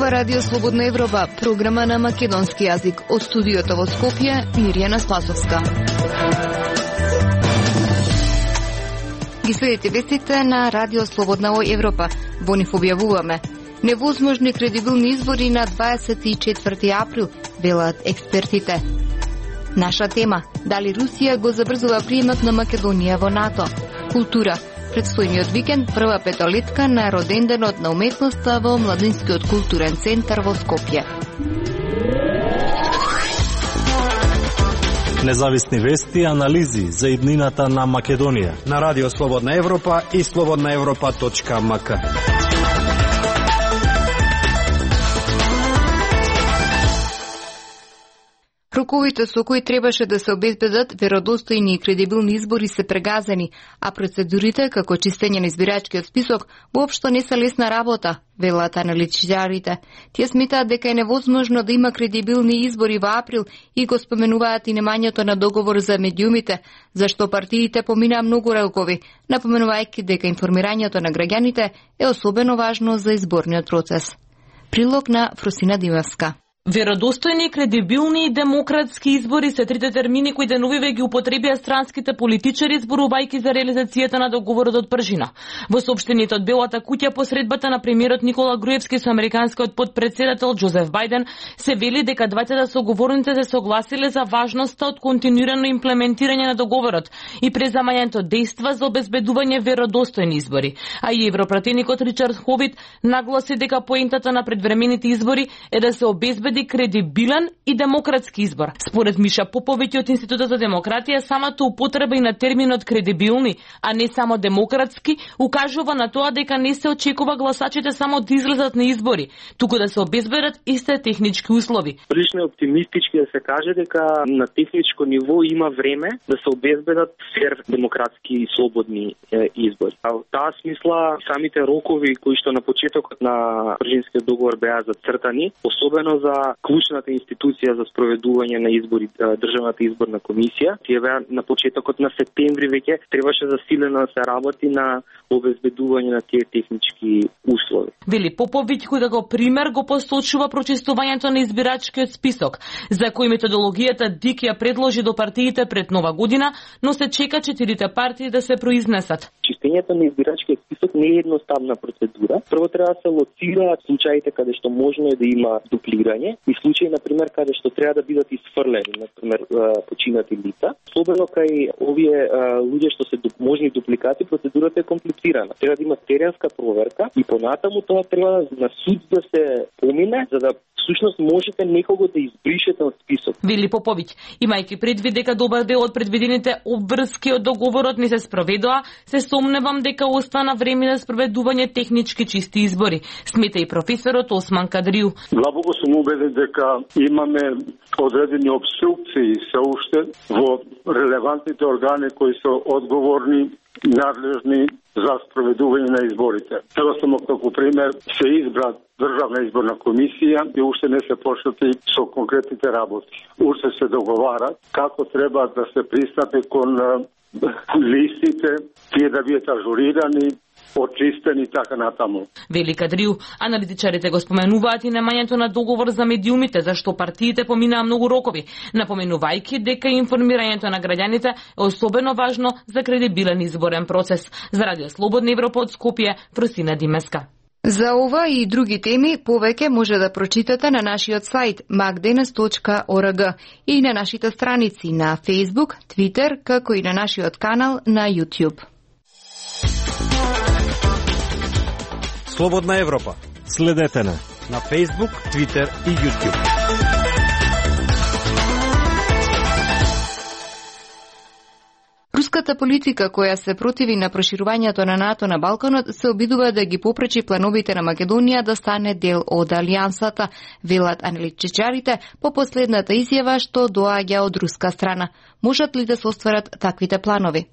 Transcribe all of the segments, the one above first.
Ова Радио Слободна Европа, програма на македонски јазик. Од студиото во Скопје, Мирјана Спасовска. Ги следите вестите на Радио Слободна Европа. Во нив објавуваме: невозможни кредибилни избори на 24 април, велат експертите. Наша тема: дали Русија го забрзува приемот на Македонија во НАТО? Култура: предстојниот викенд, прва петолетка на роденденот на уметноста во Младинскиот културен центар во Скопје. Независни вести и анализи за иднината на Македонија на Радио Слободна Европа и slobodnaevropa.mk. Роковите со кои требаше да се обезбедат веродостојни и кредибилни избори се прегазени, а процедурите, како чистење на избирачкиот список, воопшто не се лесна работа, велат аналитичарите. Тие сметаат дека е невозможно да има кредибилни избори во април и го споменуваат и немањето на договор за медиумите, зашто партиите поминаа многу рокови, напоменувајќи дека информирањето на граѓаните е особено важно за изборниот процес. Прилог на Фросина Димевска. Веродостојни, кредибилни и демократски избори се трите термини кои деновиве ги употребија странските политичари зборувајќи за реализацијата на договорот од пржина. Во соопштението од Белата куќа по средбата на премиерот Никола Груевски со американскиот потпредседател Џозеф Бајден се вели дека двајцата соговорници се согласиле за важноста од континуирано имплементирање на договорот и преземањето дејства за обезбедување веродостојни избори. А и европратеникот Ричард Ховит нагласи дека поентата на предвремените избори е да се обезбеди кредибилен и демократски избор. Според Миша Поповиќ од Институтот за демократија, самата употреба и на терминот кредибилни, а не само демократски, укажува на тоа дека не се очекува гласачите само да излезат на избори, туку да се обезбедат исти технички услови. Прилично е оптимистички да се каже дека на техничко ниво има време да се обезбедат фер, демократски и слободни избори. А во таа смисла самите рокови кои што на почетокот на пржинскиот договор беа зацртани, особено за клучната институција за спроведување на избори, Државната изборна комисија, тие беа на почетокот на септември веќе требаше засилено да се работи на обезбедување на тие технички услови. Вели Поповиќ, кој како пример го посочува прочистувањето на избирачкиот список, за кој методологијата ДИК ја предложи до партиите пред Нова година, но се чека 4 партии да се произнесат. Чистењето на избирачкиот список не е едноставна процедура. Прво треба да се лоцираат случаите каде што можно е да има дуплирање и случаи, например, каде што треба да бидат исфрлени, например, починати лица. Особено кај овие луѓе што се можни дупликати, процедурата е комплицирана. Треба да има теренска проверка и понатаму тоа треба на суд да се помине, за да всушност можете некого да избришете од список. Вели Поповиќ, имајќи предвид дека добар дел од предвидените обврски од договорот не се спроведоа, се сомневам дека остана време за спроведување технички чисти избори, смета и професорот Осман Кадриу. Длабоко сум убеден дека имаме одредени обструкции се уште во релевантните органи кои се одговорни, надлежни за спроведување на изборите. Сега само како пример се избра Државна изборна комисија и уште не се почнати со конкретните работи. Уште се договарат како треба да се пристапи кон листите, тие да бидат ажурирани, очистени и така натаму. Вели Кадриу, аналитичарите го споменуваат и немањето на договор за медиумите, зашто партиите поминаа многу рокови, напоменувајќи дека информирањето на граѓаните е особено важно за кредибилен изборен процес. За Радио Слободна Европа од Скопје, Фросина Димевска. За ова и други теми повеќе може да прочитате на нашиот сајт magdenes.org и на нашите страници на Facebook, Twitter, како и на нашиот канал на YouTube. Слободна Европа. Следете на Facebook, Twitter и YouTube. Руската политика која се противи на проширувањето на НАТО на Балканот се обидува да ги попречи плановите на Македонија да стане дел од алијансата, велат аналитичарите по последната изјава што доаѓа од руска страна. Можат ли да се остварат таквите планови?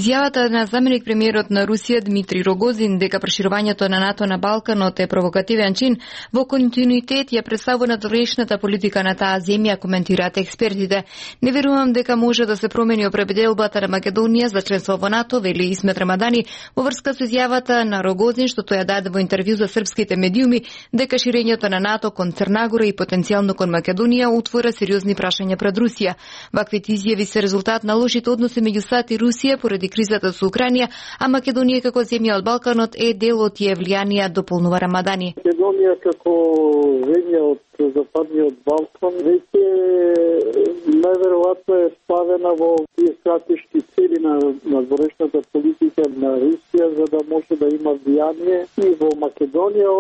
Изјавата на заменик премиерот на Русија Дмитри Рогозин дека проширувањето на НАТО на Балканот е провокативен чин во континуитет ја представува надворешната политика на таа земја, коментираат експертите. Не верувам дека може да се промени определбата на Македонија за членство во НАТО, вели Исмет Рамадани во врска со изјавата на Рогозин што тој ја даде во интервју за српските медиуми дека ширењето на НАТО кон Црна Гора и потенцијално кон Македонија отвора сериозни прашања пред Русија. Ваквите изјави се резултат на лошите односи меѓу САД и Русија поради кризата со Украина, а Македонија како земја од Балканот е дел од тие влијанија, дополнува Рамадани. Македонија како земја од Западниот Балкан веќе најверојатно е ставена во тие стратешки цели на надворешната политика на Русија за да може да има влијание и во Македонија.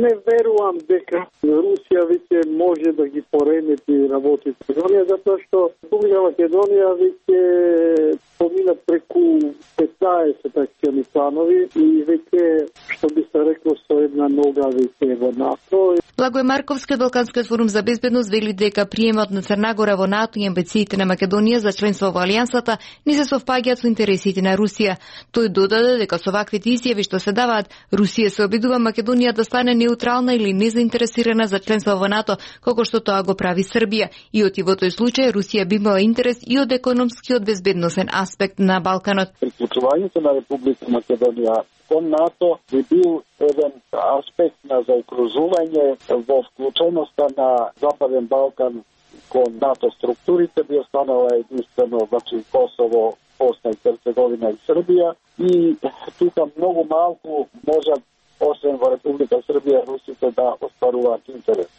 Не верувам дека Русија веќе може да ги поремети работите во Македонија, затоа што Република Македонија веќе помина преку 15 акциони планови и веќе, што би се рекло, со една нога веќе во НАТО. Благој Марковски од Балканскиот форум за безбедност вели дека приемот на Црна Гора во НАТО и амбициите на Македонија за членство во Алијансата не се совпаѓаат со интересите на Русија. Тој додаде дека со ваквите изјави што се даваат, Русија се обидува Македонија да стане неутрална или незаинтересирана за членство во НАТО, како што тоа го прави Србија. И од во тој случај Русија би имала интерес и од економски и од безбедносен аспект на Балканот. Приклучувањето на Република Македонија кон НАТО би бил еден аспект на заокружување во вклученоста на Западен Балкан кон НАТО структурите, би останала единствено Косово, Босна и Херцеговина и Србија, и тука многу малку можат, освен во Република Србија, русите да остваруваат интерес.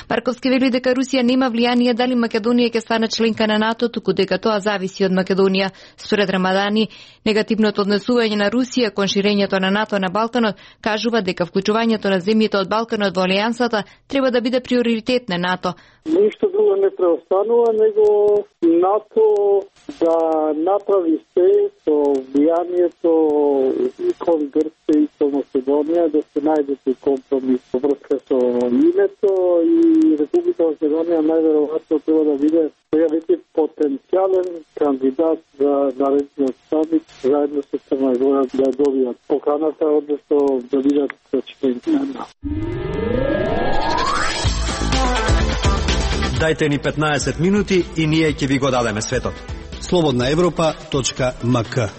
Марковски вели дека Русија нема влијание дали Македонија ќе стане членка на НАТО, туку дека тоа зависи од Македонија. Според Рамадани, негативното однесување на Русија кон ширењето на НАТО на Балканот кажува дека вклучувањето на земјите од Балканот во Алијансата треба да биде приоритет на НАТО. Ништо друго не преостанува, него НАТО да направи се со влијанието и кон Грција и кон Македонија, да се најде компромис во врска со името, и Република Македонија најверојатно треба да биде сега веќе потенцијален кандидат за наредниот самит заедно со Црна Гора да добијат поканата, односно да бидат членки на НАТО. Дајте ни 15 минути и ние ќе ви го дадеме светот. slobodnaevropa.mk.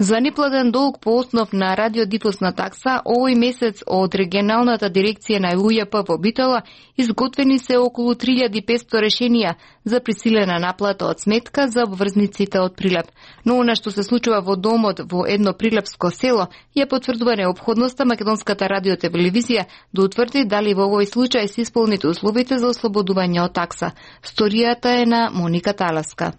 За неплатен долг по основ на радиодифузна такса, овој месец од регионалната дирекција на УЈП во Битола изготвени се околу 3500 решенија за присилена наплата од сметка за обврзниците од Прилеп. Но она што се случува во домот во едно прилепско село ја потврдува неопходноста македонската радиотелевизија да утврди дали во овој случај се исполнити условите за ослободување од такса. Сторијата е на Моника Таласка.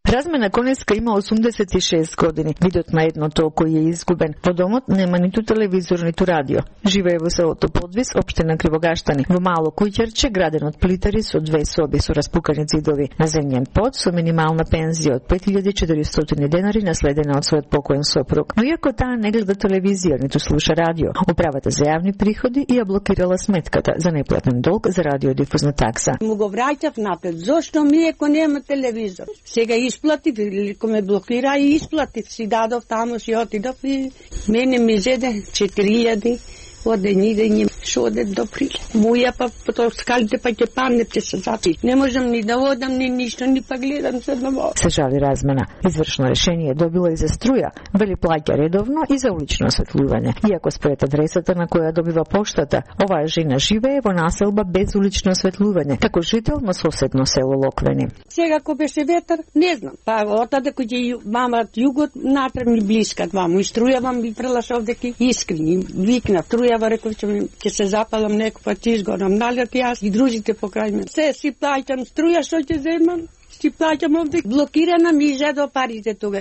Размена Конеска има 86 години. Видот на едното око е изгубен. Во домот нема ниту телевизор, ниту радио. Живее во селото Подвис, општина Кривогаштани, во мало куќерче граден од плитари со 2 соби со распукани зидови. На земјен под со минимална пензија од 5400 денари наследена од својот покоен сопруг. Но иако таа не гледа телевизија, ниту слуша радио, управата за јавни приходи ја блокирала сметката за неплатен долг за радиодифузна такса. Му го враќав напред. Зошто ми ако нема телевизор? Сега исплатив, ко ме блокира и исплатив, си дадов таму, си отидов и мене ми зеде 4000 од ден шо оде до Прилеп. Муја па потоа скалите па ќе падне, ќе се запи. Не можам ни да одам, ни ништо, ни па гледам се одново. Се жали размена. Извршно решение добила и за струја, вели плаќа редовно и за улично осветлување. Иако според адресата на која добива поштата, оваа жена живее во населба без улично осветлување, како жител на соседно село Локвени. Сега ко беше ветар, не знам. Па отаде кој ќе мама југот натреб ми блиска ваму и струјавам и прелашав дека искрени викна струјава, реков ќе се запалам некој ќе изгорам, налет јас и дружите покрај мене. Се си плаќам струја, што ќе земам? Си плаќам овде. Блокирана ми зедо парите тога.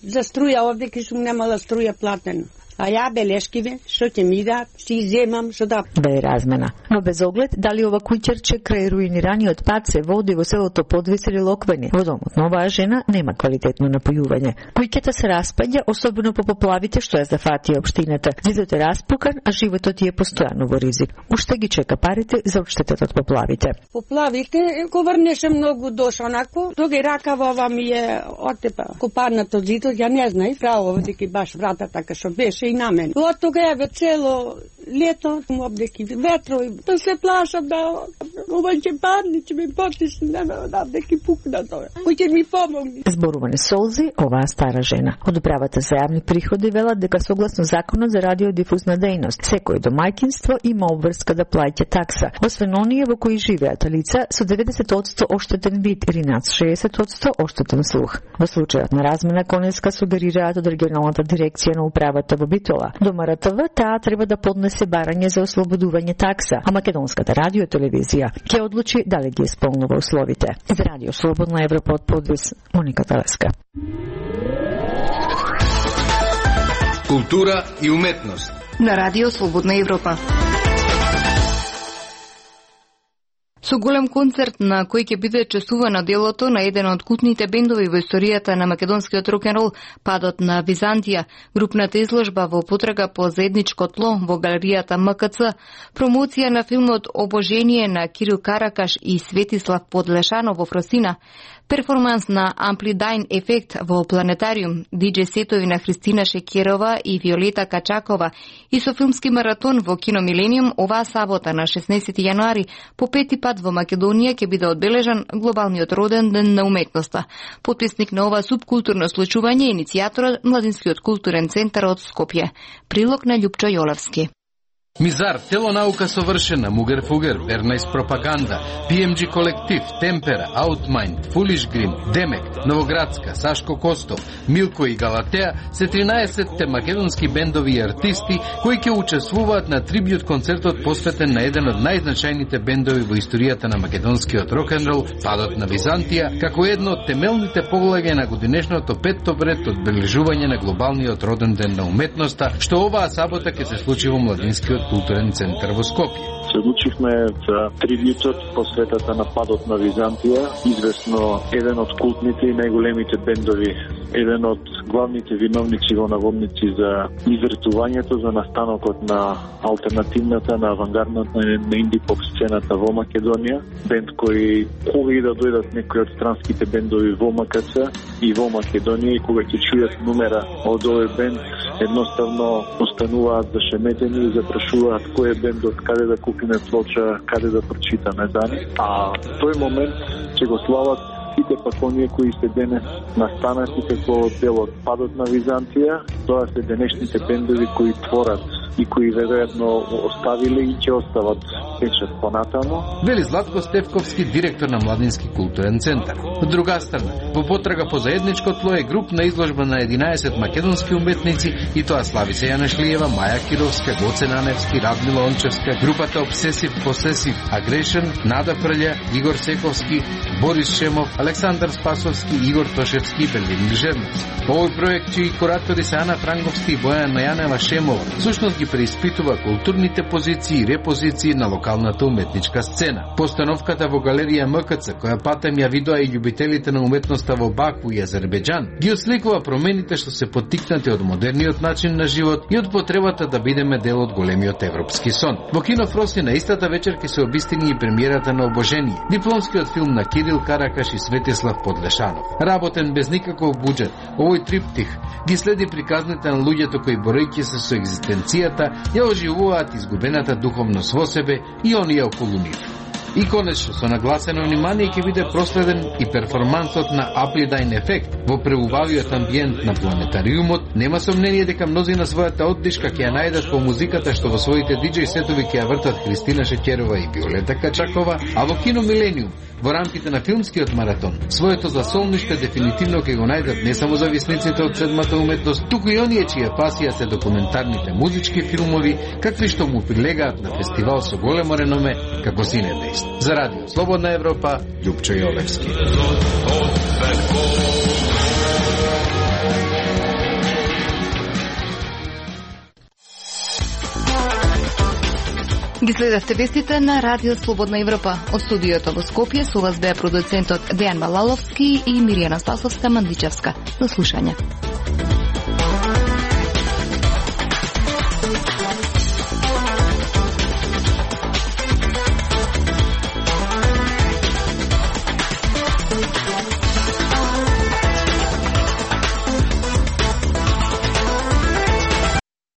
За струја овде ке сум немала струја платена. А ја белешкиве, што ќе ми дадат, си земам, што да... Ве размена. Но без оглед, дали ова куќерче крај руинираниот пат се води во селото Подвис или Локвени, во домот на оваа жена нема квалитетно напојување. Куќата се распаѓа, особено по поплавите што ја зафатија општината. Зидот е распукан, а животот е постојано во ризик. Уште ги чека парите за одштетата од поплавите. Поплавите, ко врнеше многу дош, онако, тога и ракава ова ми е отепа. Ко паднато зидот, ја не знај, право, дека баш врата така што беше и на мен. Од тога еве цело лето, обдеки ветрови, да се плашам да ова ќе падне, ќе ми потисне, да деки пукна тоа. Кој ќе ми помогне? Зборуване солзи оваа стара жена. Од управата за јавни приходи велат дека согласно законот за радиодифузна дејност, секој домаќинство има обврска да плаќа такса, освен оние во кои живеат лица со 90% оштетен вид или над 60% оштетен слух. Во случајот на размена Конеска сугерираат од регионалната дирекција на управата во Битола. До МРТВ таа треба да поднесе барање за ослободување такса, а македонската радиотелевизија ќе одлучи дали ги исполнува условите. За Радио Слободна Европа од Подвис, Моника Талеска. Култура и уметност на Радио Слободна Европа. Со голем концерт на кој ќе биде честувано делото на еден од култните бендови во историјата на македонскиот рок-н-рол, Падот на Византија, групната изложба во потрага по заедничко тло во галеријата МКЦ, промоција на филмот Обожение на Кирил Каракаш и Светислав Подлешанов во Фросина, перформанс на Амплидайн ефект во Планетариум, диџеј сетови на Христина Шекерова и Виолета Качакова и со филмски маратон во Кино Милениум оваа сабота на 16 јануари по пети пат во Македонија ќе биде одбележан глобалниот роден ден на уметноста. Потписник на ова субкултурно случување е иницијаторот Младинскиот културен центар од Скопје. Прилог на Љупчо Јолевски. Мизар, телонаука совршена, Мугер Фугер, Вернайс пропаганда, PMG колектив, Темпера, Аутмайнд, Фулиш Грим, Демек, Новоградска, Сашко Костов, Милко и Галатеа се 13-те македонски бендови и артисти кои ќе учествуваат на трибјут концертот посветен на еден од најзначајните бендови во историјата на македонскиот рок-н-рол, Падот на Византија, како едно од темелните погледања на годинешното 5-то бред одбележување на глобалниот роден ден на уметноста, што оваа сабота ќе се случи во Младинскиот културен центар во Скопје. Се одлучивме за трибјутот посветата на Падот на Византија, известно еден од култните и најголемите бендови, еден од главните виновници во наводници за извртувањето, за настанокот на алтернативната, на авангардната, на инди-поп сцената во Македонија, бенд кој кога и да дојдат некои од странските бендови во МКЦ и во Македонија и кога ќе чујат номера од овој бенд, едноставно остануваат зашеметени и запрашуваат кој е бендот, каде да купиме плоча, каде да прочитаме за нив. А тој момент ќе го слават сите пак оние кои се денес настанати како дел од Падот на Византија. Тоа се денешните бендови кои творат и кои веројатно оставиле и ќе остават печат понатаму. Вели Златко Стевковски, директор на Младински културен центар. Од друга страна, во потрага по заедничко тло е групна изложба на 11 македонски уметници и тоа Славица Јанашлиева, Маја Кировска, Гоце Наневски, Радмила Ончевска, групата Obsessive Possessive Aggression, Нада Фрља, Игор Сековски, Борис Шемов, Александар Спасовски, Игор Тошевски и Белин Гржевнос. Овој проект чии куратори се Ана Франговски и Бојана Јанева Шемова, всушност ги преиспитува културните позиции и репозиции на локалната уметничка сцена. Постановката во галерија МКЦ, која патем ја видоа и љубителите на уметноста во Баку и Азербеџан, ги осликува промените што се поттикнати од модерниот начин на живот и од потребата да бидеме дел од големиот европски сон. Во Кино Фросина истата вечер ќе се обистини и премиерата на Обожение, дипломскиот филм на Кирил Каракаш и Светислав Подлешанов. Работен без никаков буџет, овој триптих ги следи приказните на луѓето кои борејќи се со екзистенцијата ја оживуваат изгубената духовност во себе и оние околу нив. И конечно, со нагласено внимание ќе биде проследен и перформансот на Аплидайн ефект во преубавиот амбиент на Планетариумот. Нема сомнение дека мнози на својата оддишка ќе ја најдат по музиката што во своите диџеј сетови ќе ја вртат Христина Шекерова и Виолета Качакова, а во Кино Милениум, во рамките на филмскиот маратон, своето засолниште дефинитивно ќе го најдат не само зависниците од седмата уметност, туку и оние чија пасија се документарните музички филмови, какви што му прилегаат на фестивал со големо реноме како Синедејст. За Радио Слободна Европа, Љупчо Јолевски. Ги следевте вестите на Радио Слободна Европа. Од студиото во Скопје со вас беа продуцентот Дејан Балаловски и Миријана Спасовска-Мандичевска. До слушање.